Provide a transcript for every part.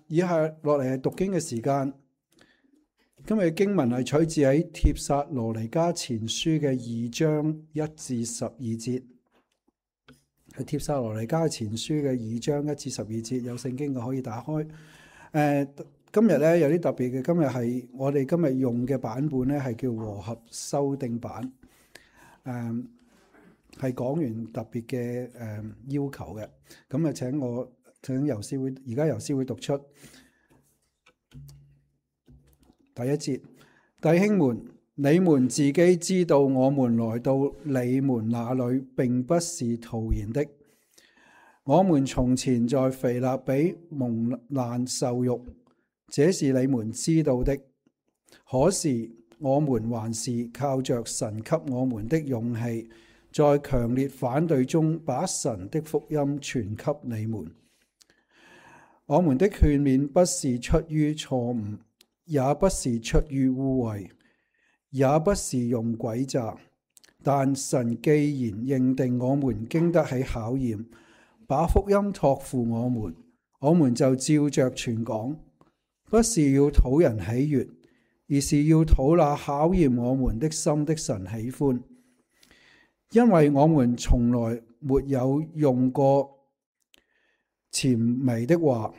以下落嚟係讀經嘅時間。今日嘅經文係取自喺帖撒羅尼迦前書嘅2章1至12節。喺帖撒羅尼迦前書嘅2章1至12節，有聖經嘅可以打開。今日咧有啲特別嘅，今日係我哋今日用嘅版本咧係叫和合修訂版。係講完特別嘅要求嘅。咁啊請游師會，而家游師會讀出第一節。弟兄們，你們自己知道，我們來到你們那裏並不是徒然的。我們從前在腓立比蒙難受辱，這是你們知道的。可是我們還是靠着神給我們的勇氣，在強烈反對中把神的福音傳給你們。我們的勸勉不是出於錯誤，也不是出於污穢，也不是用詭詐，但神既然認定我們經得起考驗，把福音託付我們就照着傳講，不是要討人喜悅，而是要討那考驗我們的心的神喜歡。因為我們從來沒有用過諂媚的話，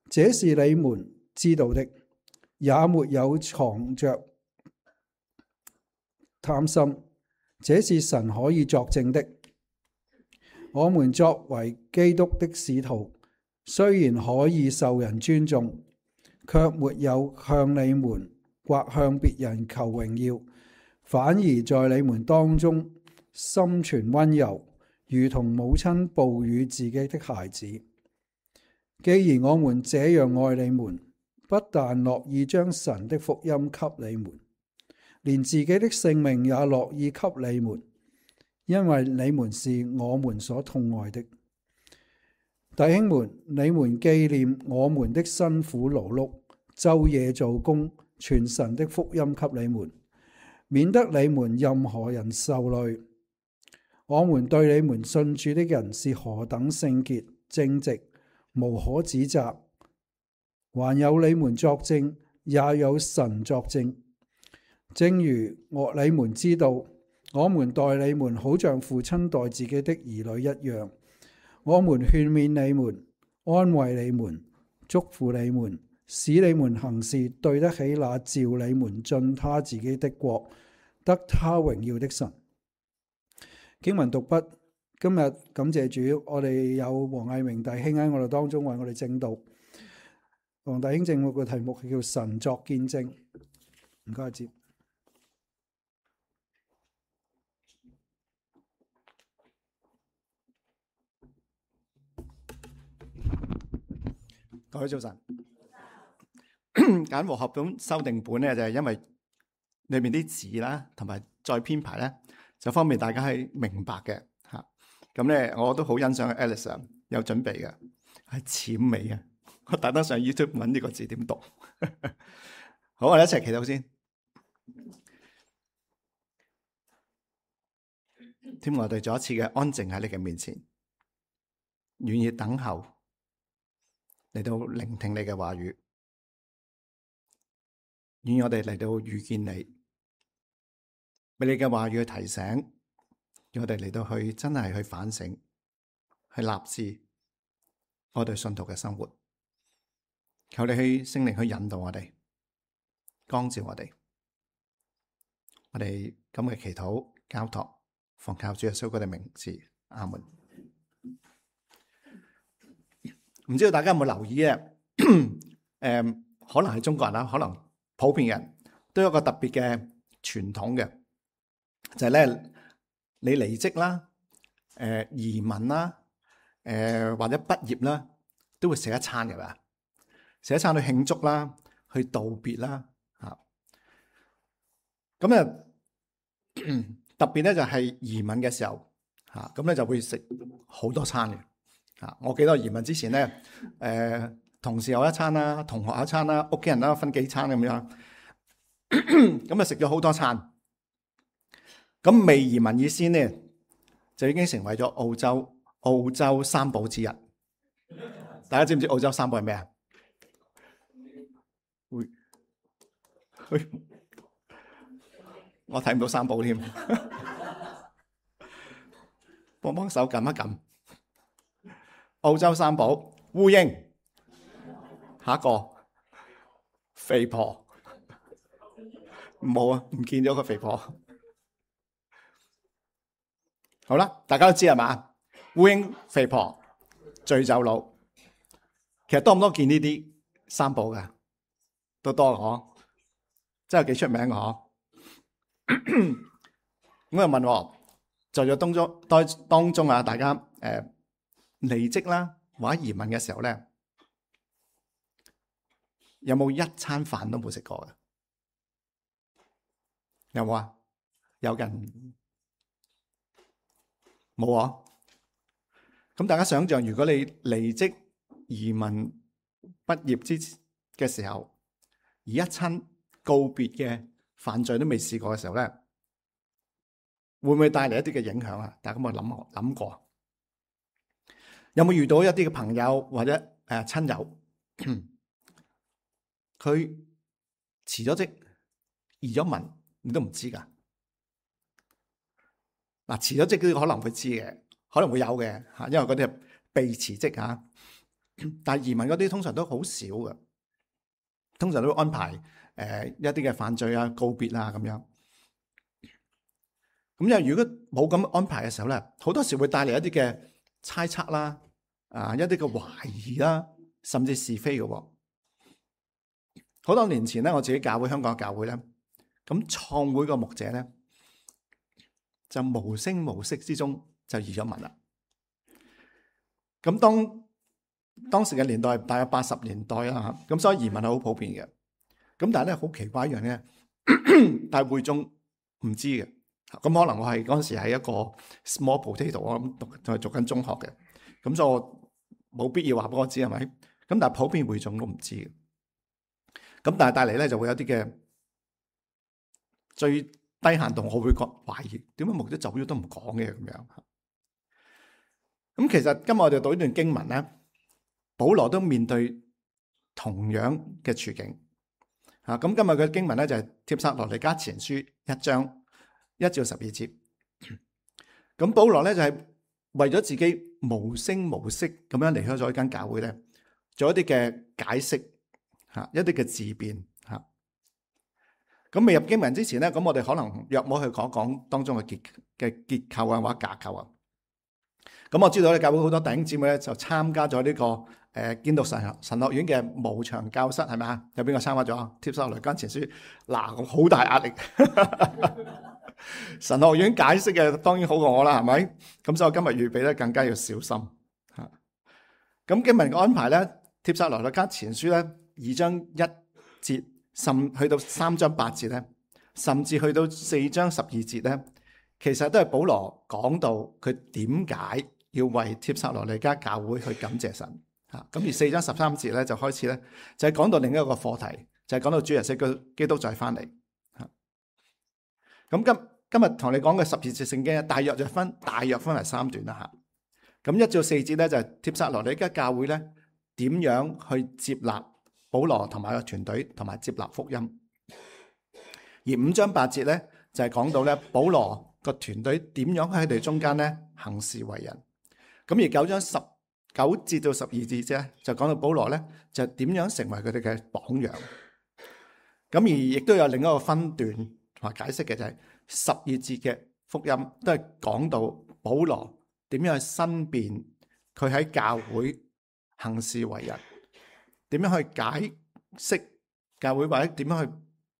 這是你們知道的，也沒有藏着貪心，這是神可以作證的。我們作為基督的使徒，雖然可以受人尊重，卻沒有向你們或向別人求榮耀，反而在你們當中心存溫柔，如同母親哺乳自己的孩子。既然我們這樣愛你們，不但樂意將神的福音給你們，連自己的性命也樂意給你們，因為你們是我們所痛愛的。弟兄們，你們紀念我們的辛苦勞碌，晝夜做工，傳神的福音給你們，免得你們任何人受累。我們對你們信主的人是何等聖潔正直，無可指責。還有你們作證，也有神作證。正如你們知道，我們待你們好像父親待自己的兒女一樣。我們勸勉你們，安慰你們，祝福你們，使你們行事對得起那召你們進他自己的國，得他榮耀的神。經文讀畢。今日感謝主，我哋有黃毅明弟兄喺我哋當中為我哋證道。黃弟兄證道嘅題目係叫神作見證。唔該，接。各位早晨。揀和合本修訂本咧，就係因為裏面啲字啦，同埋再編排咧，就方便大家係明白嘅吓。咁咧，我都好欣賞 Alice 有準備嘅，係諂媚嘅。我特登上 YouTube 揾呢個字點讀。好，我哋一齊祈禱先。天父，我哋再一次嘅安靜喺你嘅面前，願意等候嚟到聆聽你嘅話語，願意我哋嚟到遇見你，俾你嘅話語去提醒，讓我哋嚟到去真係去反省，去立志我哋信徒嘅生活。求你去聖靈去引導我哋，光照我哋。我哋咁嘅祈禱交託，奉靠主耶穌嘅名字，阿門。唔知道大家有冇留意咧？可能係中國人啦，可能普遍人都有一個特別嘅傳統嘅，就係咧你離職啦、移民啦、或者畢業啦，都會食一餐嘅嘛，食一餐去慶祝啦、去道別啦嚇。咁啊特別咧就係移民嘅時候嚇，咁咧就會食好多餐嘅。我記得移民之前咧，同事有一餐啦，同學有一餐啦，屋企人啦分幾餐咁樣，咁啊食咗好多餐。咁未移民以先咧，就已經成為咗澳洲三寶之一。大家知唔知澳洲三寶係咩啊？我睇唔到三寶添，幫手撳一撳。澳洲三寶烏蠅，下一個肥婆，冇啊，唔見咗個肥婆。好啦，大家都知係嘛？烏蠅、肥婆、醉酒佬，其實多唔多見呢啲三寶㗎？都多嗬，真係幾出名嘅嗬。咁又問我，在咗當中啊，大家離職啦或者移民嘅時候咧，有冇一餐飯都冇食過嘅？有冇啊？有人冇啊？咁大家想象，如果你離職移民畢業嘅時候，而一餐告別嘅飯聚都未試過嘅時候咧，會唔會帶嚟一啲嘅影響啊？大家有冇諗過？有冇遇到一啲嘅朋友或者親友，佢辭咗職移咗民，你都唔知㗎？嗱，辭咗職嗰啲可能會知嘅，可能會有嘅嚇，因為嗰啲係被辭職嚇。但係移民嗰啲通常都好少嘅，通常都會安排一啲嘅飯聚啊、告別啊咁樣。咁又如果冇咁安排嘅時候咧，好多時會帶嚟一啲嘅猜測啦，一啲嘅懷疑啦，甚至是非嘅喎。好多年前咧，我自己教會香港嘅教會咧，咁創會個牧者咧就無聲無息之中就移咗民啦。咁當時嘅年代大約80年代啦嚇，咁所以移民係好普遍嘅。咁但係咧好奇怪一樣咧，但係會眾唔知嘅。咁可能我係嗰陣時係一個 small potato，我諗仲係讀緊中學嘅，咁所以我冇必要話俾我知係咪？咁但係普遍會眾都唔知嘅。咁但係帶嚟咧就會有啲嘅最低限度，我會覺懷疑點解牧者走咗都唔講嘅咁樣。咁其實今日我哋讀呢段經文咧，保羅都面對同樣嘅處境。咁今日嘅經文咧就係帖撒羅尼迦前書1章1至12節。咁保羅咧就係為咗自己無聲無息咁樣離開咗一間教會咧，做一啲嘅解釋，一啲嘅自辯。咁未入經文之前咧，咁我哋可能約摸去講講當中嘅結構啊或者架構啊。咁我知道咧，教會好多弟兄姊妹咧就參加咗呢個建道神學院嘅無牆教室，係咪啊？有邊個參加咗？帖撒羅尼迦前書嗱，好大壓力。神學院解釋嘅當然好過我啦，係咪？咁所以我今日預備咧更加要小心嚇。咁經文嘅安排咧，帖撒羅尼迦前書咧2章1節，甚去到3章8節咧，甚至去到4章12節咧，其實都係保羅講到佢點解要為帖撒羅尼迦教會去感謝神嚇。咁而4章13節咧就開始咧，就係講到另一個課題，就係講到主耶穌基督再翻嚟嚇。咁今日同你講嘅12節聖經大約分為3段啦嚇。咁1至4節咧就係帖撒羅尼迦教會咧點樣去接納保羅同埋個團隊，同埋接納福音。而5章8節咧就係講到咧保羅個團隊點樣喺佢哋中間咧行事為人。咁而9章19節到12節啫，就講到保羅咧就點樣成為佢哋嘅榜樣。咁而亦都有另一個分段同埋解釋嘅，就係12節嘅福音都係講到保羅點樣去申辯佢喺教會行事為人，點樣去解釋教會，或者點樣去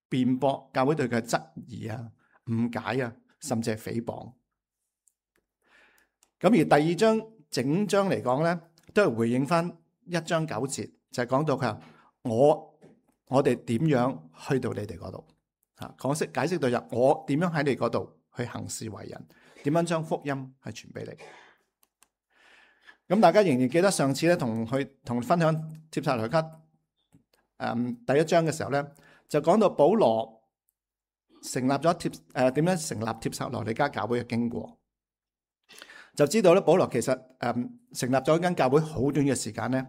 辯駁教會對佢嘅質疑啊、誤解啊，甚至係誹謗。咁而第2章整章嚟講咧，都係回應翻1章9節，就係講到佢話我哋點樣去到你哋嗰度嚇，解釋到入我點樣喺你嗰度去行事為人，點樣將福音係傳俾你。咁大家仍然記得上次咧同分享帖撒羅尼迦第1章嘅時候咧，就講到保羅成立咗點樣成立帖撒羅尼迦教會嘅經過，就知道咧保羅其實成立咗一間教會好短嘅時間咧，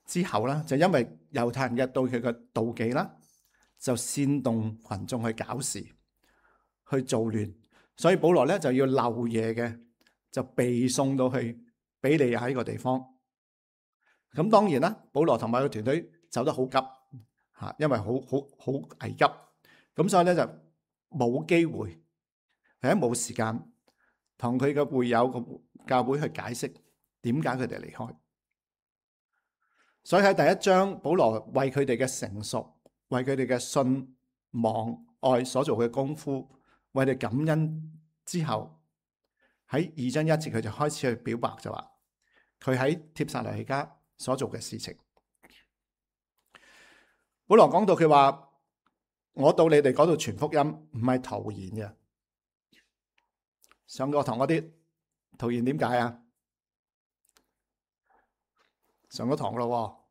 之後啦，就因為猶太人嘅對佢嘅妒忌啦，就煽動群眾去搞事、去造亂，所以保羅咧就要漏夜嘅，就被送到去比利亞呢個地方。咁當然啦，保羅同埋個團隊走得好急嚇，因為好危急，咁所以咧就冇機會，係冇時間同佢嘅會友個教會去解釋點解佢哋離開。所以喺第一章，保羅為佢哋嘅成熟，為佢哋嘅信望愛所做嘅功夫，為佢哋感恩之後，喺2章1節佢就開始去表白，就話佢喺帖撒羅尼迦所做嘅事情。保羅講到佢話：我到你哋嗰度傳福音唔係徒然嘅。上過堂嗰啲徒然點解啊？上咗堂咯，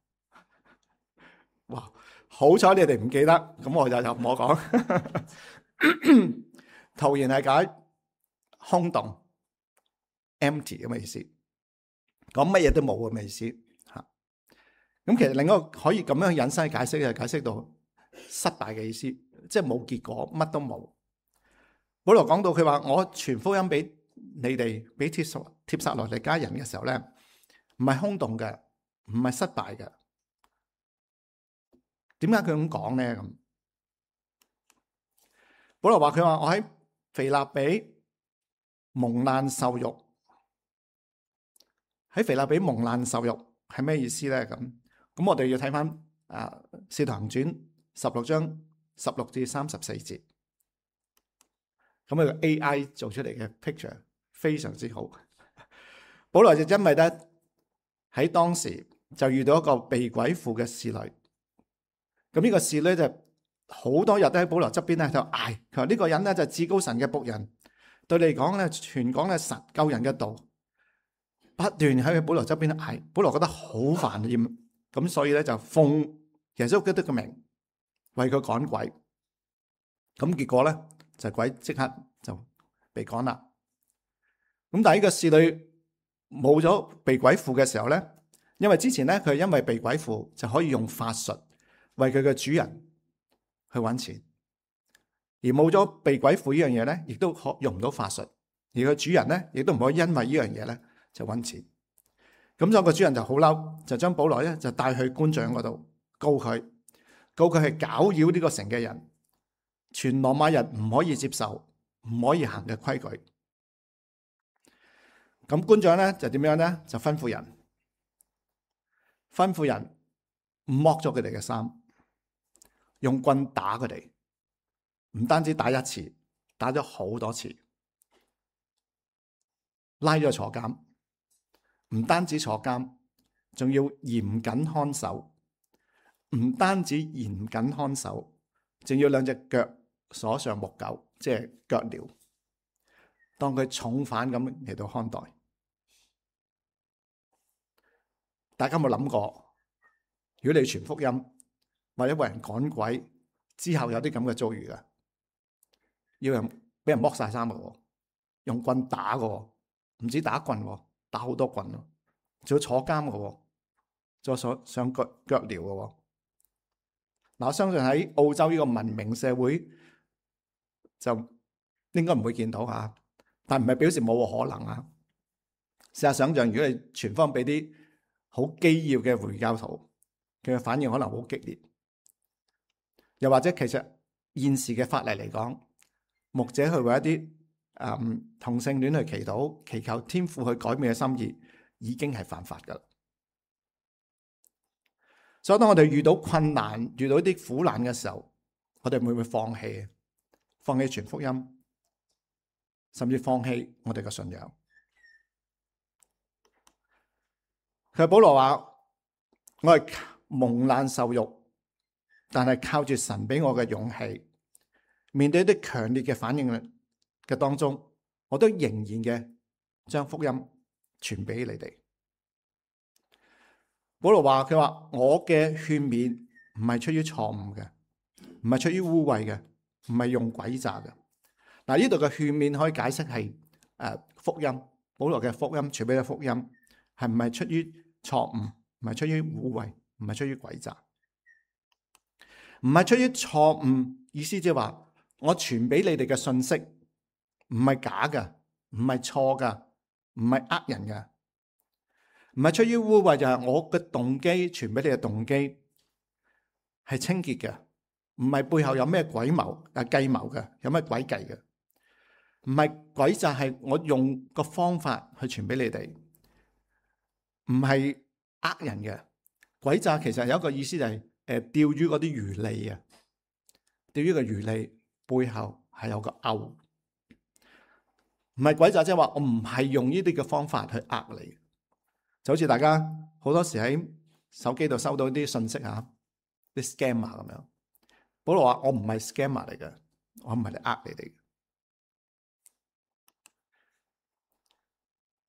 哇！好彩你哋唔記得，咁我就唔好講。徒然係解空洞 empty 咁嘅意思，講乜嘢都冇咁嘅意思吓。咁其實另一個可以咁樣引申解釋，就解釋到失敗嘅意思，即係冇結果，乜都冇。保羅講到佢話：我傳福音俾你哋，俾帖撒羅尼迦人嘅時候咧，唔係空洞嘅，唔係失敗嘅。點解佢咁講咧？咁保羅話佢話：我喺腓立比蒙難受辱。喺腓立比蒙難受辱係咩意思咧？咁我哋要睇翻《使徒行傳》16章16至34節。咁佢個 AI 做出嚟嘅 picture 非常之好。保羅就因為咧喺當時就遇到一個被鬼附嘅侍女。咁呢個侍女就好多日都喺保羅側邊咧就嗌，佢話呢個人咧就至高神嘅僕人，對你嚟講咧傳講咧神救人嘅道，不斷喺保羅側邊嗌。保羅覺得好煩厭，咁所以咧就奉耶穌基督嘅名為佢趕鬼。咁結果咧就鬼即刻就被趕啦。咁但係呢個侍女冇咗被鬼附嘅時候咧，因為之前咧佢係因為被鬼附就可以用法術為佢嘅主人去揾錢，而冇咗被鬼附呢樣嘢咧，亦都用唔到法術，而佢主人咧亦都唔可以因為呢樣嘢咧就揾錢。咁所以個主人就好嬲，就將保羅咧就帶去官長嗰度告佢係攪擾呢個城嘅人，全羅馬人唔可以接受，唔可以行嘅規矩。咁官長咧就點樣咧？就吩咐人剝咗佢哋嘅衫，用棍打佢哋，唔單止打一次，打咗好多次，拉咗坐監。唔單止坐監，仲要嚴謹看守。唔單止嚴謹看守，仲要兩隻腳鎖上木狗，即係腳鐐，當佢重犯咁嚟到看待。大家有冇諗過，如果你傳福音或者為人趕鬼之後有啲咁嘅遭遇啊，要人俾人剝晒衫嘅，用棍打嘅，唔止打棍，打好多棍咯，仲要坐監嘅，再上腳鐐嘅。嗱，我相信喺澳洲呢個文明社會就應該唔會見到吓，但唔係表示冇可能啊。試下想象，如果你傳福音俾啲好基要嘅回教徒，佢嘅反應可能好激烈。又或者其實現時嘅法例嚟講，牧者去為一啲同性戀去祈禱，祈求天父去改變嘅心意，已經係犯法噶啦。所以當我哋遇到困難、遇到啲苦難嘅時候，我哋會唔會放棄？放棄傳福音，甚至放棄我哋嘅信仰？佢保羅話：我係蒙難受辱，但係靠住神俾我嘅勇氣，面對一啲強烈嘅反應嘅當中，我都仍然嘅將福音傳俾你哋。保羅話：佢話我嘅勸勉唔係出於錯誤嘅，唔係出於污穢嘅，唔係用詭詐嘅。嗱，呢度嘅勸勉可以解釋係福音。保羅嘅福音傳俾嘅福音係唔係出於錯誤，唔係出於污穢，唔係出於詭詐，唔係出於錯誤。意思即係話，我傳俾你哋嘅信息唔係假嘅，唔係錯嘅，唔係呃人嘅，唔係出於污穢，就係我嘅動機傳俾你嘅動機係清潔嘅，唔係背後有咩詭謀計謀嘅，有咩詭計嘅，唔係詭詐，係我用個方法去傳俾你哋，唔係呃人嘅。詭詐其實有一個意思就係釣魚嗰啲魚餌啊，釣魚嘅魚餌背後係有個勾，唔係詭詐，即係話我唔係用呢啲嘅方法去呃你，就好似大家好多時喺手機度收到啲信息啊，啲 scammer 咁樣。保羅話我唔係 scammer 嚟嘅，我唔係嚟呃你哋嘅，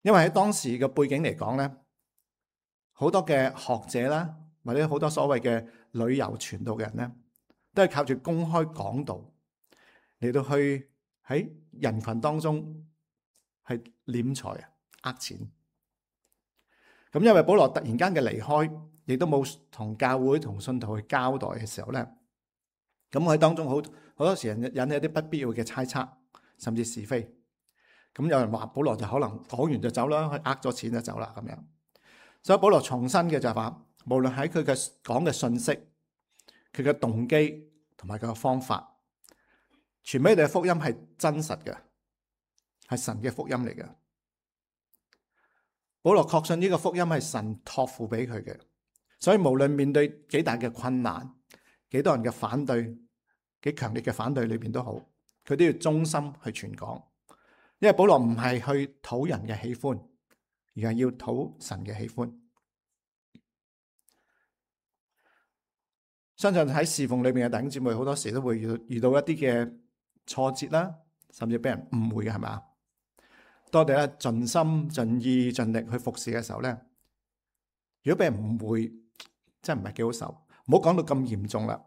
因為喺當時嘅背景嚟講咧，好多嘅學者啦，或者好多所謂嘅旅遊傳道嘅人咧，都係靠住公開講道嚟到去喺人群當中係斂財啊、呃錢。咁因為保羅突然間嘅離開，亦都冇同教會同信徒去交代嘅時候咧，咁喺當中好多時引起一啲不必要嘅猜測，甚至是非。咁有人話保羅就可能講完就走啦，去呃咗錢就走啦咁樣。所以保羅重申嘅就係話，無論喺佢嘅講嘅信息、佢嘅動機同埋佢嘅方法，傳俾你哋嘅福音係真實嘅，係神嘅福音嚟嘅。保羅確信呢個福音係神託付俾佢嘅，所以無論面對幾大嘅困難、幾多人嘅反對、幾強烈嘅反對裏邊都好，佢都要忠心去傳講。因為保羅唔係去討人嘅喜歡，而係要討神嘅喜歡。相信喺侍奉裏面嘅弟兄姊妹，好多時都會遇到一啲嘅挫折啦，甚至俾人誤會嘅，係咪？當我哋咧盡心盡意盡力去服侍嘅時候咧，如果俾人誤會，真係唔係幾好受。唔好講到咁嚴重啦，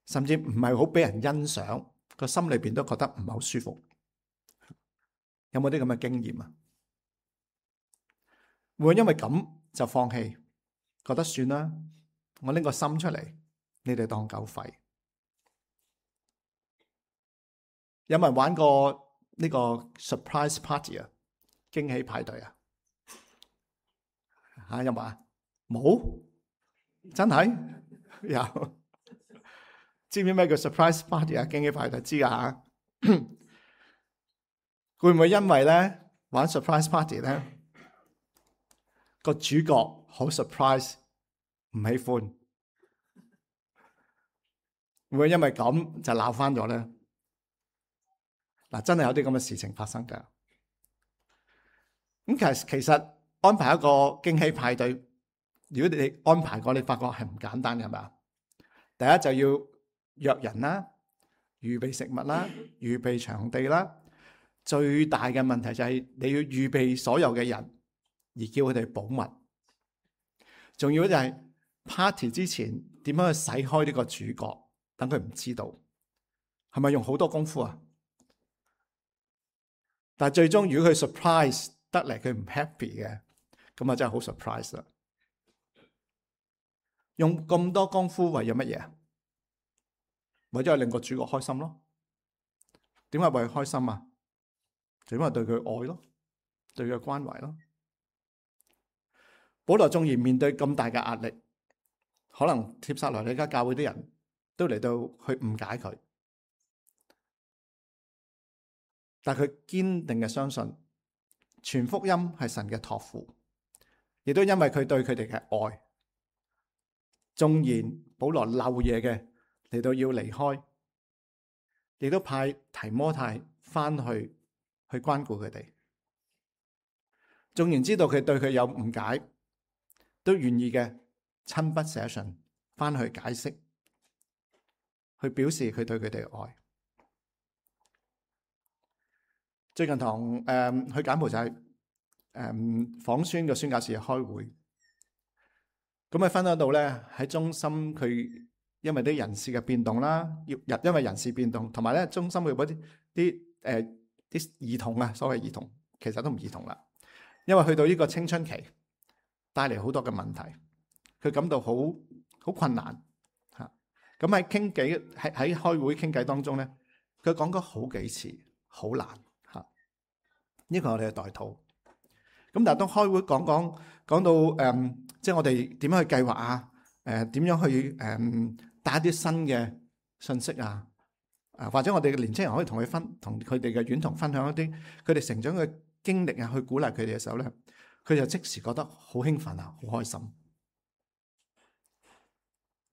甚至唔係好俾人欣賞，個心裏邊都覺得唔係好舒服。有冇啲咁嘅經驗啊？會因為咁就放棄，覺得算啦，我拎個心出嚟，你哋當狗吠。有冇人玩過呢個 surprise party 啊？驚喜派對啊？吓，有冇啊？冇？真係有？知唔知咩叫 surprise party 啊？驚喜派對知噶吓？會唔會因為咧玩 surprise party 咧個主角好 surprise 唔喜歡，會唔會因為咁就鬧翻咗咧？嗱，真係有啲咁嘅事情發生噶。咁其實安排一個驚喜派對，如果你安排過，你發覺係唔簡單嘅，係咪啊？第一就要約人啦，預備食物啦，預備場地啦。最大嘅問題就係你要預備所有嘅人，而叫佢哋保密。仲要就係 party 之前點樣去洗開呢個主角，等佢唔知道，係咪用好多功夫啊？但係最終如果佢 surprise 得嚟，佢唔 happy 嘅，咁啊真係好 surprise 啦！用咁多功夫為咗乜嘢？為咗令個主角開心咯。點解為佢開心啊？就因為對佢愛咯，對佢關懷咯。保羅縱然面對咁大嘅壓力，可能帖撒羅尼迦教會啲人都嚟到去誤解佢，但佢堅定嘅相信傳福音係神嘅託付，亦都因為佢對佢哋嘅愛，縱然保羅漏嘢嘅嚟到要離開，亦都派提摩太翻去關顧佢哋。縱然知道佢對佢有誤解，都願意嘅親筆寫信翻去解釋，去表示佢對佢哋嘅愛。最近同去柬埔寨訪宣嘅宣教士開會，咁喺分享到咧喺中心佢因為啲人事嘅變動啦，因為人事變動，同埋咧中心會嗰啲兒童啊，所謂兒童其實都唔兒童啦，因為去到呢個青春期，帶嚟好多嘅問題，佢感到好困難嚇。咁喺傾偈喺開會傾偈當中咧，佢講咗好幾次，好難嚇。呢個係我哋嘅代禱。咁但係當開會講到即係我哋點樣去計劃啊？點樣去帶一啲新嘅信息啊？或者我哋嘅年青人可以同佢哋嘅院童分享一啲佢哋成長嘅經歷啊，去鼓勵佢哋嘅時候咧，佢就即時覺得好興奮啊，好開心。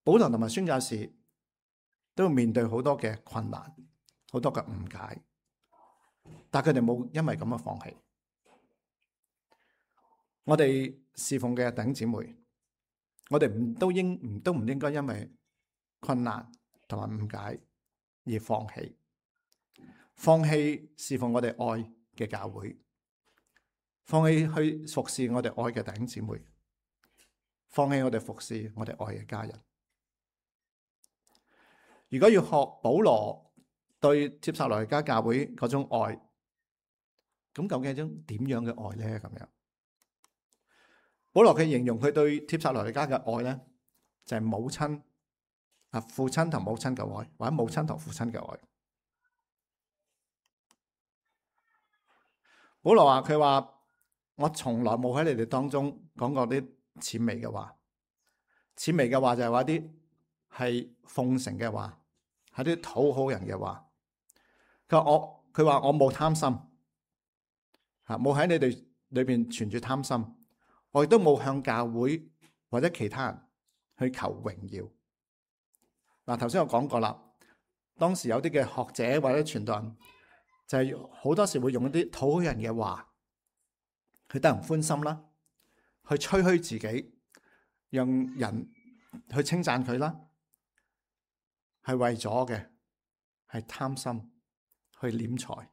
保羅同埋宣教士都要面對好多嘅困難，好多嘅誤解，但係佢哋冇因為咁樣放棄。我哋侍奉嘅弟兄姊妹，我哋都唔應該因為困難同埋誤解而放棄侍奉我哋愛嘅教會，放棄去服侍我哋愛嘅弟兄姊妹，放棄我哋服侍我哋愛嘅家人。如果要學保羅對帖撒羅尼迦教會嗰種愛，咁究竟係種點樣嘅愛咧？咁樣，保羅佢形容佢對帖撒羅尼迦嘅愛咧，就係母親父親同母親嘅愛，或者母親同父親嘅愛。保羅話佢話，我從來冇喺你哋當中講過啲諂媚嘅話。諂媚嘅話就係話啲係奉承嘅話，係啲討好人嘅話。佢話我冇貪心，冇喺你哋裏邊存住貪心，我亦都冇向教會或者其他人去求榮耀。嗱，頭先我講過啦，當時有啲嘅學者或者傳道人，就係好多時會用一啲討好人嘅話，去得人歡心啦，去吹噓自己，讓人去稱讚佢啦，係為咗嘅係貪心去斂財，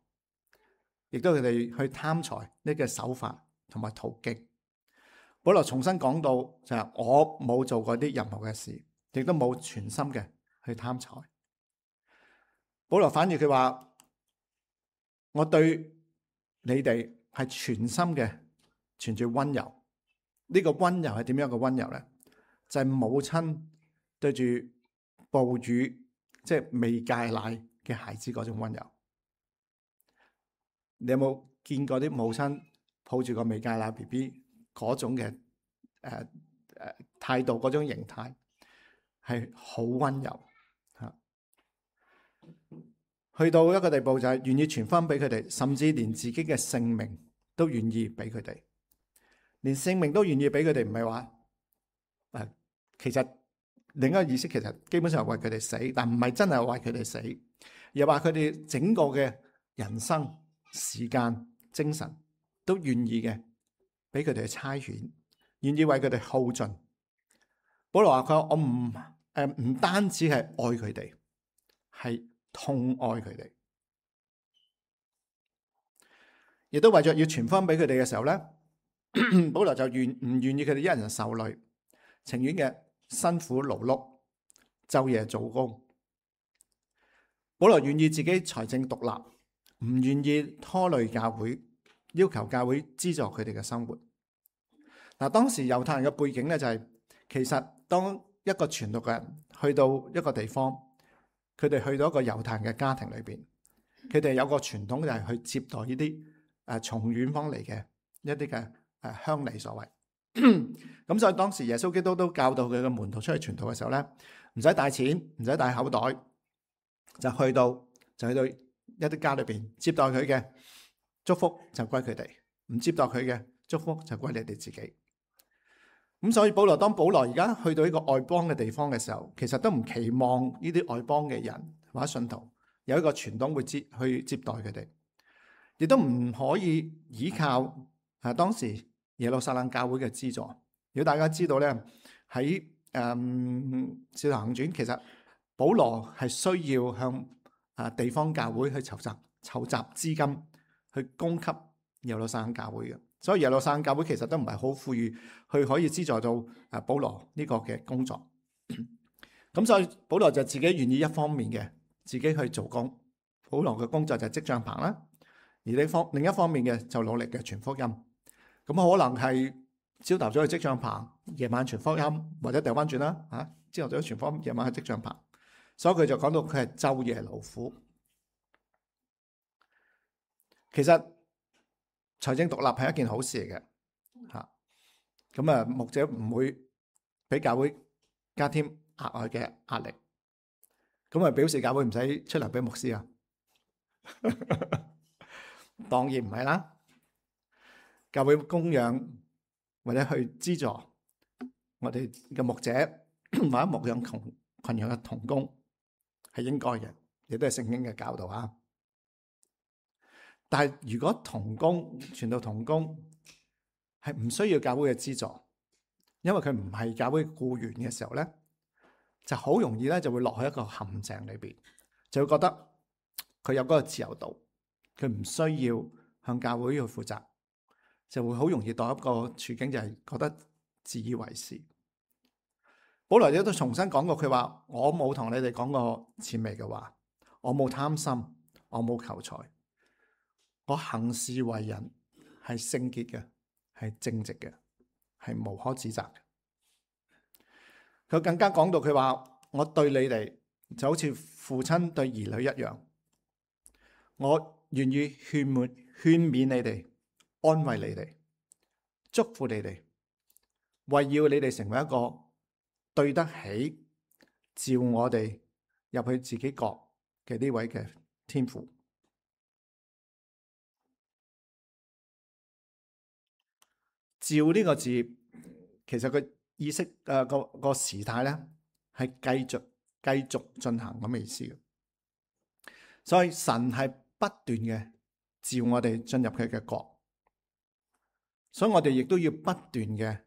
亦都佢哋去貪財呢個手法同埋途徑。保羅重新講到就係我冇做過啲任何嘅事，亦都冇全心嘅去貪財。保羅反而佢話，我對你哋係全心嘅存住溫柔。呢個溫柔係點樣嘅溫柔咧？就係母親對住哺乳即係未戒奶嘅孩子嗰種溫柔。你有冇見過啲母親抱住個未戒奶 BB 嗰種嘅態度，嗰種形態係好溫柔吓，去到一個地步就係願意傳翻俾佢哋，甚至連自己嘅性命都願意俾佢哋，連性命都願意俾佢哋。唔係話其實另一個意思，其實基本上係為佢哋死，但唔係真係為佢哋死，又話佢哋整個嘅人生、時間、精神都願意嘅，俾佢哋差遣，願意為佢哋耗盡。保羅話佢我唔單止係愛佢哋，係痛愛佢哋，亦都為咗要傳翻俾佢哋嘅時候咧，保羅就唔願意佢哋一人受累，情願嘅辛苦勞碌，晝夜做工。保羅願意自己財政獨立，唔願意拖累教會，要求教會資助佢哋嘅生活。嗱，當時猶太人嘅背景咧就係，其實當一個傳道嘅人去到一個地方，佢哋去到一個猶太人嘅家庭裏邊，佢哋有個傳統就係去接待呢啲從遠方嚟嘅一啲嘅鄉里所謂。咁所以當時耶穌基督都教導佢嘅門徒出去傳道嘅時候咧，唔使帶錢，唔使帶口袋，就去到一啲家裏邊接待佢嘅，祝福就歸佢哋，唔接待佢嘅祝福就歸你哋自己。咁所以當保羅而家去到一個外邦嘅地方嘅時候，其實都唔期望呢啲外邦嘅人或者信徒有一個傳統會去接待佢哋，亦都唔可以依靠當時耶路撒冷教會嘅資助。如果大家知道咧，喺《使徒行傳》，其實保羅係需要向地方教會去籌集資金去供給耶路撒冷教會嘅。所以耶路撒冷教會其實都唔係好富裕，去可以資助到保羅呢個嘅工作。咁所以保羅就自己願意一方面嘅自己去做工，保羅嘅工作就係織帳棚啦。而另一方面嘅就努力嘅傳福音。咁可能係朝頭早去織帳棚，夜晚傳福音，或者掉翻轉啦嚇，朝頭早傳福音，夜晚係職帳棚，所以佢就講到佢係晝夜勞苦。其實財政獨立係一件好事嚟嘅嚇，咁啊牧者唔會俾教會加添額外嘅壓力，咁啊表示教會唔使出糧俾牧師啊？當然唔係啦，教會供養或者去資助我哋嘅牧者或者牧養群養嘅同工係應該嘅，亦都係聖經嘅教導啊。但係如果同工傳道同工係唔需要教會嘅資助，因為佢唔係教會僱員嘅時候咧，就好容易咧就會落去一個陷阱裏邊，就會覺得佢有嗰個自由度，佢唔需要向教會去負責，就會好容易到一個處境，就係覺得自以為是。保羅亦都重新講過，佢話：我冇同你哋講過諂媚嘅話，我冇貪心，我冇求財，我行事為人係聖潔嘅，係正直嘅，係無可指責嘅。佢更加講到佢話：我對你哋就好似父親對兒女一樣，我願意勸勉你哋，安慰你哋，祝福你哋，為要你哋成為一個對得起召我哋入去自己國嘅呢位嘅天父。召呢個字，其實個意識個時態咧係繼續進行咁嘅意思嘅。所以神係不斷嘅召我哋進入佢嘅國，所以我哋亦都要不斷嘅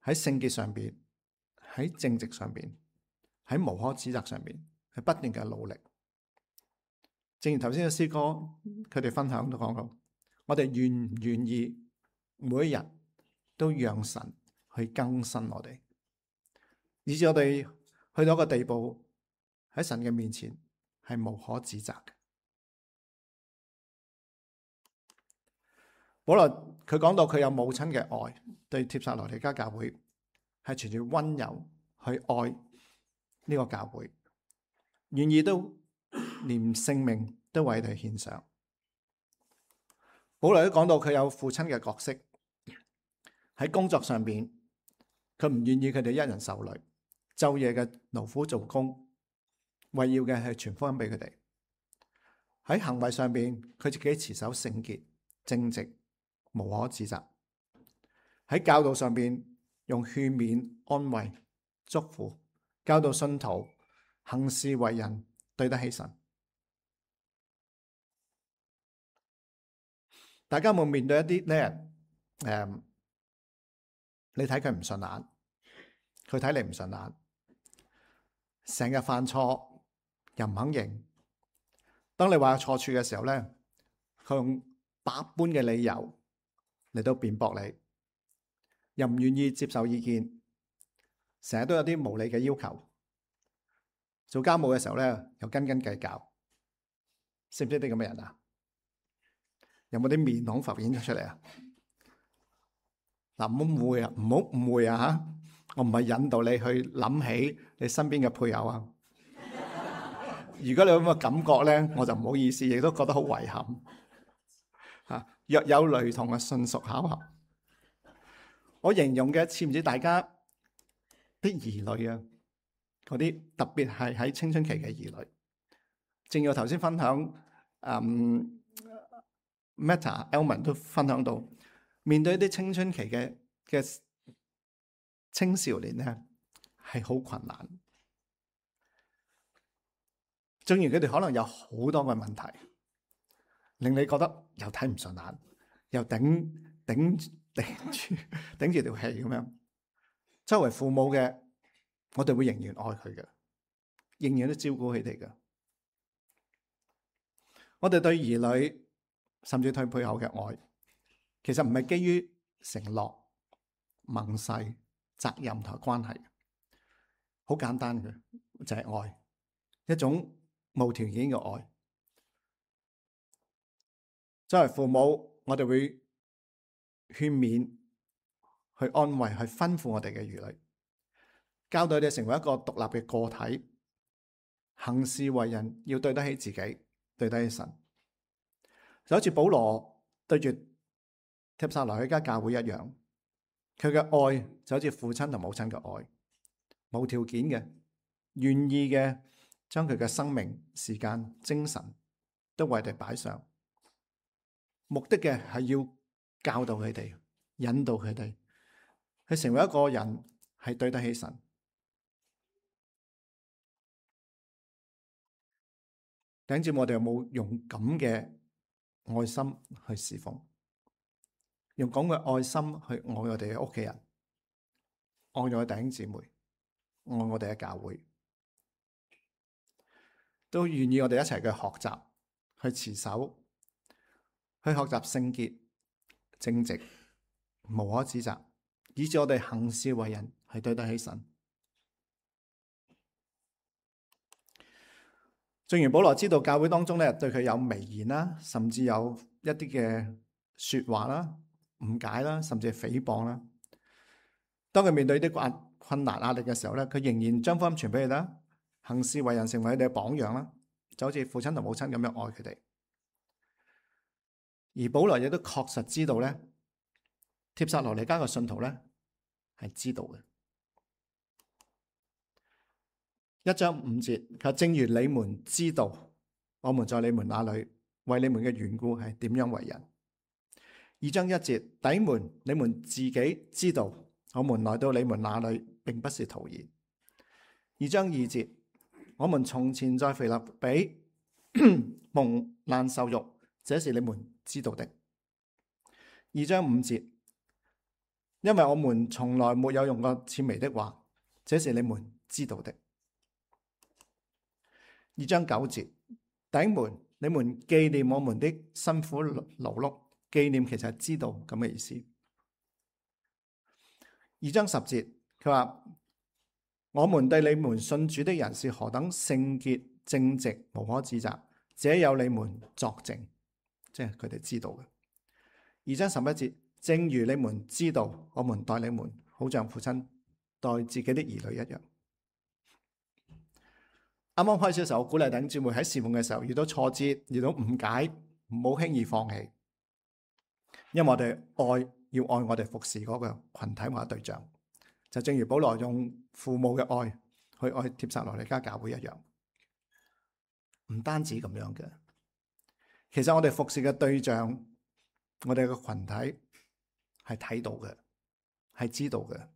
喺聖潔上邊，喺正直上邊，喺無可指責上邊，係不斷嘅努力。正如頭先嘅詩歌，佢哋分享都講過，我哋願唔願意每一日都讓神去更新我哋，以至我哋去到一個地步，喺神嘅面前係無可指責嘅。保羅佢講到佢有母親嘅愛，對帖撒羅尼迦教會係存住溫柔去愛呢個教會，願意都連性命都為佢獻上。保羅都講到佢有父親嘅角色，喺工作上邊，佢唔願意佢哋一人受累，晝夜嘅勞苦做工，為要嘅係傳福音俾佢哋。喺行為上邊，佢自己持守聖潔、正直、無可指責。喺教導上邊，用勸勉、安慰、祝福，教導信徒行事為人對得起神。大家有冇面對一啲咧？你睇佢唔順眼，佢睇你唔順眼，成日犯錯又唔肯認。當你話有錯處嘅時候咧，佢用百般嘅理由嚟到辯駁你，又唔願意接受意見，成日都有啲無理嘅要求。做家務嘅時候咧，又斤斤計較，識唔識啲咁嘅人啊？有冇啲面孔浮現咗出嚟啊？嗱，唔好誤會啊！唔好誤會啊！嚇，我唔係引導你去諗起你身邊嘅配偶啊。如果你有咁嘅感覺咧，我就唔好意思，亦都覺得好遺憾。嚇，若有雷同嘅，純屬巧合。我形容嘅似唔似大家啲兒女啊？嗰啲特別係喺青春期嘅兒女。正如我頭先分享Meta Elman 都分享到，面對一啲青春期嘅青少年咧，係好困難。正如佢哋可能有好多嘅問題，令你覺得又睇唔順眼，又頂住條氣咁樣。作為父母嘅，我哋會仍然愛佢嘅，仍然都照顧佢哋嘅。我哋對兒女甚至對配偶嘅愛，其實唔係基於承諾、盟誓、責任同關係，好簡單嘅就係愛，一種無條件嘅愛。作為父母，我哋會勸勉、去安慰、去吩咐我哋嘅兒女，教導佢哋成為一個獨立嘅個體，行事為人要對得起自己，對得起神。就好似保羅對住帖撒羅尼迦教會一樣，佢嘅愛就好似父親同母親嘅愛，無條件嘅，願意嘅將佢嘅生命、時間、精神都為佢哋擺上，目的嘅係要教導佢哋、引導佢哋，去成為一個人係對得起神。弟兄姊妹，我哋有冇用咁嘅愛心去侍奉？用咁嘅愛心去愛我哋嘅屋企人，愛我哋嘅弟兄姊妹，愛我哋嘅教會，都願意我哋一齊去學習，去持守，去學習聖潔、正直、無可指責，以致我哋行事為人係對得起神。正如保羅知道教會當中咧對佢有微言啦，甚至有一啲嘅說話啦、誤解啦，甚至係誹謗啦。當佢面對啲困難壓力嘅時候咧，佢仍然將福音傳俾佢啦，行事為人成為佢哋嘅榜樣啦，就好似父親同母親咁樣愛佢哋。而保羅亦都確實知道咧，帖撒羅尼迦嘅信徒咧係知道嘅。1章5節，佢話正如你們知道，我們在你們那裏為你們嘅緣故係點樣為人。2章1節，弟兄們，你們自己知道，我們來到你們那裏並不是徒然。2章2節，我們從前在腓立比蒙難受辱，這是你們知道的。2章5節，因為我們從來沒有用過諂媚的話，這是你們知道的。2章9節，弟兄們，你們紀念我們的辛苦勞碌，紀念其實係知道咁嘅意思。2章10節，佢話我們對你們信主的人是何等聖潔、正直、無可指責，這有你們作證，即係佢哋知道嘅。2章11節，正如你們知道，我們待你們好像父親待自己的兒女一樣。啱啱開始嘅時候，我鼓勵弟兄姊妹喺侍奉嘅時候遇到挫折、遇到誤解，唔好輕易放棄，因為我哋要愛我哋服侍嗰個群體或者對象，就正如保羅用父母嘅愛去愛帖撒羅尼迦教會一樣。唔單止咁樣嘅，其實我哋服侍嘅對象，我哋嘅群體係睇到嘅，係知道嘅。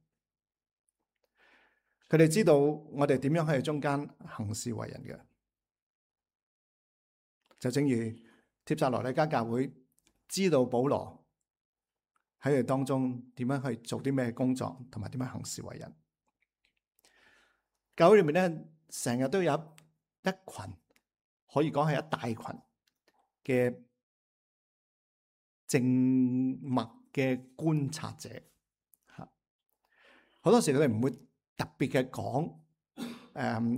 佢哋知道我哋點樣喺中間行事為人嘅，就正如帖撒羅尼迦教會知道保羅喺佢哋當中點樣去做啲咩工作，同埋點樣行事為人。教會裏面咧，成日都有一群，可以講係一大群嘅靜默嘅觀察者。吓，好多時佢哋唔會特別嘅講，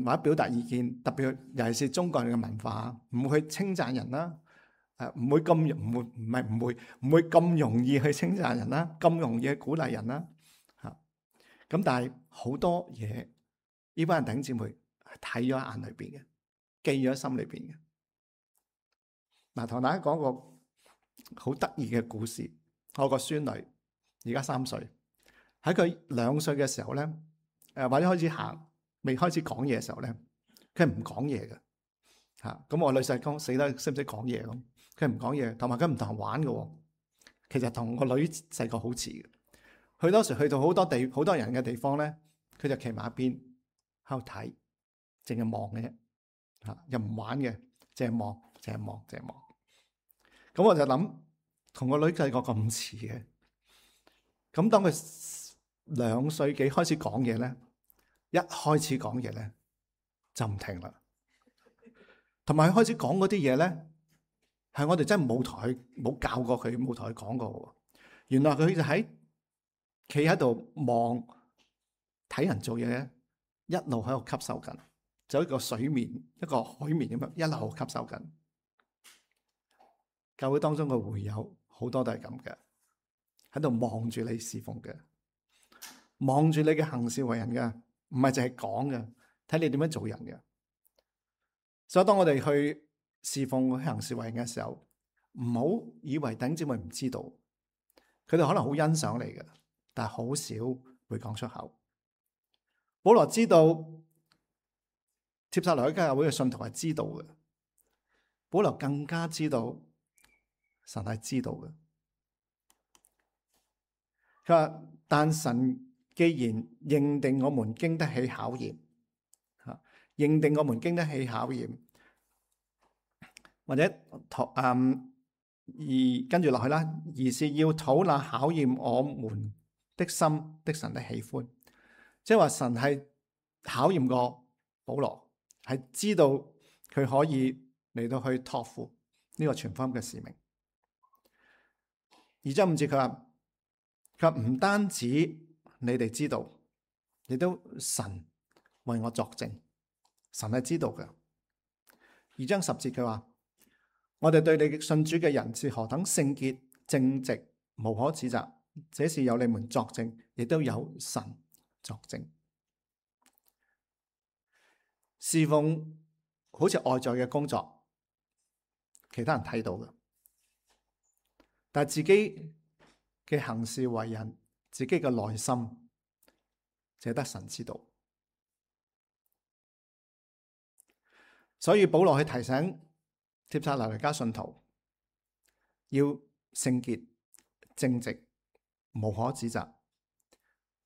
或者表達意見，特別尤其是中國人嘅文化，唔會去稱讚人啦，唔會咁容易去稱讚人啦，咁容易去鼓勵人啦，吓。咁但係好多嘢，呢班人弟兄姊妹係睇咗喺眼裏邊嘅，記咗喺心裏邊嘅。嗱，同大家講個好得意嘅故事。我個孫女而家3歲，喺佢2歲嘅時候咧，或者開始行，未開始講嘢嘅時候咧，佢係唔講嘢嘅嚇。咁我女婿講死得識唔識講嘢咁，佢唔講嘢，同埋佢唔同人玩嘅。其實同個女細個好似嘅。佢當時去到好多人嘅地方咧，佢就企埋一邊喺度睇，淨係望嘅啫嚇，又唔玩嘅，淨係望。咁我就諗，同個女細個咁似嘅。咁當佢2歲幾開始講嘢咧，一開始講嘢咧就唔停啦。同埋佢開始講嗰啲嘢咧，係我哋真係冇教過佢，冇同佢講過。原來佢就企喺度望睇人做嘢咧，一路喺度吸收緊，就一個水面、一個海綿咁樣，一路吸收緊。教會當中嘅會友好多都係咁嘅，喺度望住你侍奉嘅，望住你嘅行事為人嘅，唔係淨係講嘅，睇你點樣做人嘅。所以當我哋去侍奉去行事為人嘅時候，唔好以為弟兄姊妹唔知道，佢哋可能好欣賞你嘅，但係好少會講出口。保羅知道帖撒羅尼迦教會嘅信徒係知道嘅，保羅更加知道神係知道嘅。佢話：但神既然認定我們經得起考驗，認定我們經得起考驗，或者而跟住落去啦，而是要討那考驗我們的心的神的喜歡，即係話神係考驗過保羅，係知道佢可以嚟到去託付呢個傳福音嘅使命。2章5節佢話唔單止你哋知道，亦都神為我作證，神係知道嘅。2章10節佢話：我哋對你信主嘅人是何等聖潔正直，無可指責，這是有你們作證，亦都有神作證。侍奉好似外在嘅工作，其他人睇到嘅，但係自己嘅行事為人，自己嘅內心，只得神知道。所以保羅去提醒帖撒羅尼迦信徒要聖潔正直，無可指責，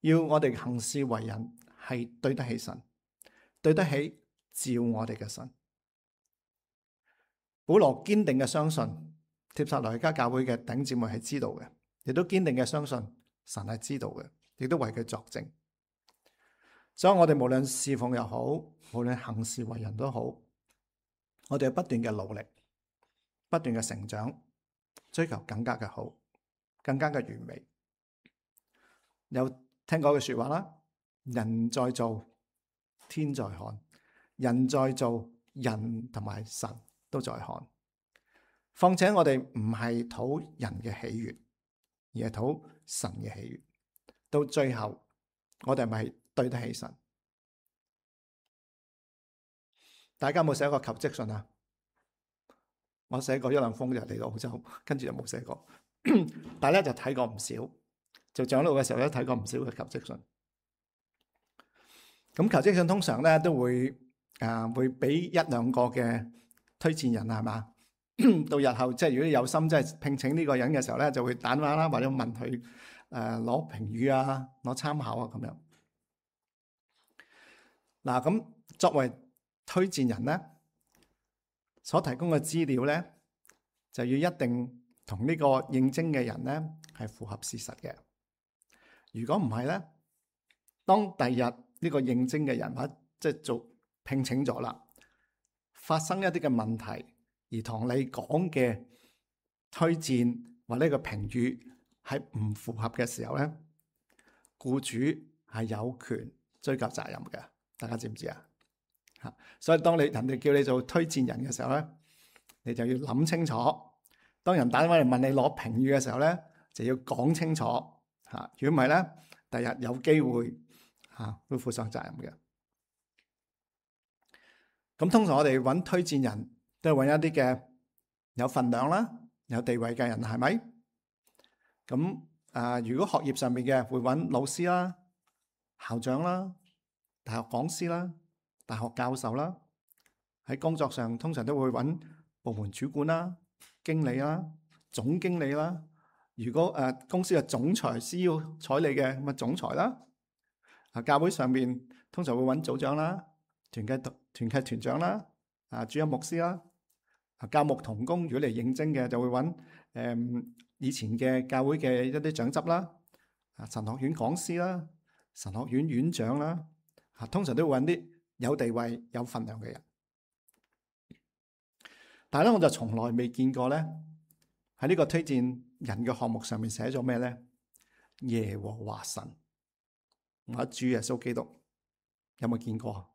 要我哋行事為人係對得起神，對得起召我哋嘅神。保羅堅定嘅相信帖撒羅尼迦教會嘅弟兄姊妹係知道嘅，亦都堅定嘅相信神係知道嘅，亦都為佢作證。所以我哋無論侍奉又好，無論行事為人都好，我哋不斷嘅努力，不斷嘅成長，追求更加嘅好，更加嘅完美。有聽過句說話啦，人在做，天在看；人在做，人同埋神都在看。況且我哋唔係討人嘅喜悅，而係討神嘅喜悅。到最後，我哋係咪對得起神？大家有冇寫過求職信啊？我寫過一兩封就嚟到澳洲，跟住就冇寫過。但係咧就睇過唔少，做長老嘅時候咧睇過唔少嘅求職信。咁求職信通常咧都會會俾一兩個嘅推薦人係嘛？到日後即係如果有心即係聘請呢個人嘅時候咧，就會打電話啦，或者問佢攞評語啊、攞參考啊咁樣。嗱，咁作為推薦人咧，所提供嘅資料咧，就要一定同呢個應徵嘅人咧係符合事實嘅。如果唔係咧，當第日呢個應徵嘅人物即係做聘請咗啦，發生一啲嘅問題，而同你講嘅推薦或者個評語係唔符合嘅時候咧，僱主係有權追究責任嘅。大家知唔知啊？所以當人哋叫你做推薦人嘅時候咧，你就要諗清楚。當人打電話嚟問你攞評語嘅時候咧，就要講清楚。如果唔係咧，第日有機會會負上責任嘅。咁通常我哋揾推薦人都係揾一啲嘅有份量啦、有地位嘅人，係咪？咁如果學業上面嘅會揾老師啦、校長啦、大學講師啦、大學教授啦。喺工作上通常都會揾部門主管啦、經理啦、總經理啦。如果公司嘅總裁需要採你嘅，咁啊總裁啦。教會上面通常會揾組長啦、團契團長啦、主任牧師啦。教牧同工如果嚟應徵嘅，就會揾以前嘅教會嘅一啲長執啦、神學院講師啦、神學院院長啦。通常都會揾啲有地位、有份量嘅人。但係咧，我就從來未見過咧，喺呢個推薦人嘅項目上面寫咗咩咧？耶和華神，或者主耶穌基督，有冇見過？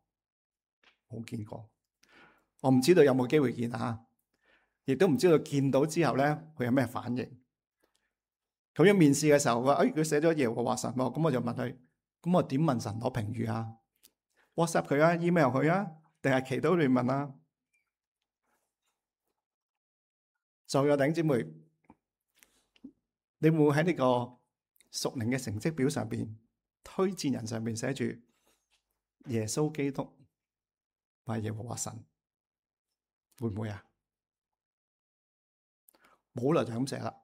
冇見過。我唔知道有冇機會見啊，亦都唔知道見到之後咧，佢有咩反應。咁樣面試嘅時候，佢寫咗耶和華神喎，咁我就問佢：咁我點問神攞評語啊？WhatsApp 佢啊，email 佢啊，定係祈禱亂問啊？就有弟兄姊妹，你會唔會喺呢個屬靈嘅成績表上邊、推薦人上邊寫住耶穌基督或耶和華神？會唔會啊？保羅就咁寫啦。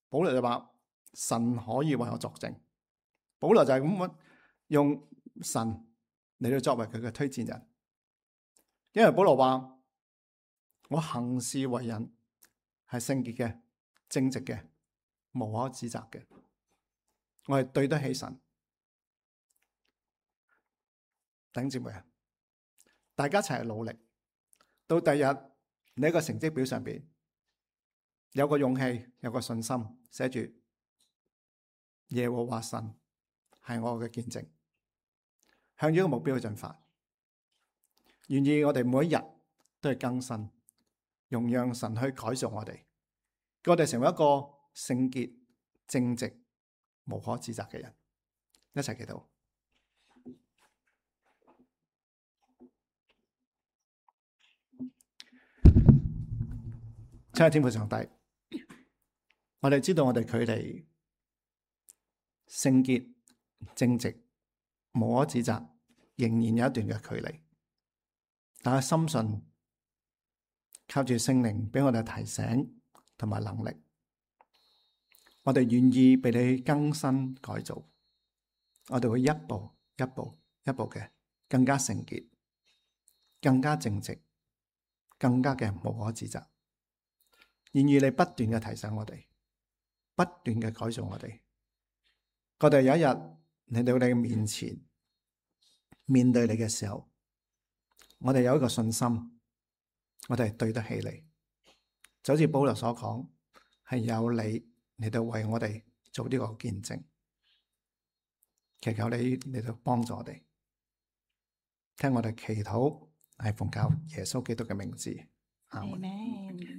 保羅就話神可以為我作證。保羅就係咁用神嚟到作為佢嘅推薦人，因為保羅話我行事為人係聖潔嘅、正直嘅、無可指責嘅，我係對得起神。弟兄姊妹啊，大家一齊努力，到第日你喺個成績表上邊有個勇氣、有個信心，寫住耶和華神係我嘅見證，向住個目標去進發。願意我哋每一日都係更新，容讓神去改造我哋，叫我哋成為一個聖潔、正直、無可指責嘅人。一齊祈禱。親愛的天父上帝，我哋知道我哋距離聖潔、正直、無可指責仍然有一段嘅距離，但係深信靠住聖靈俾我哋提醒同埋能力，我哋願意被你更新改造，我哋會一步一步一步嘅更加聖潔、更加正直、更加嘅無可指責。願意你不斷嘅提醒我哋，不斷嘅改造我哋。我哋有一日嚟到你嘅面前，面對你嘅時候，我哋有一個信心，我哋係對得起你。就好似保羅所講，係有你嚟到為我哋做呢個見證。祈求你嚟到幫助我哋，聽我哋祈禱，係奉靠耶穌基督嘅名字。阿們。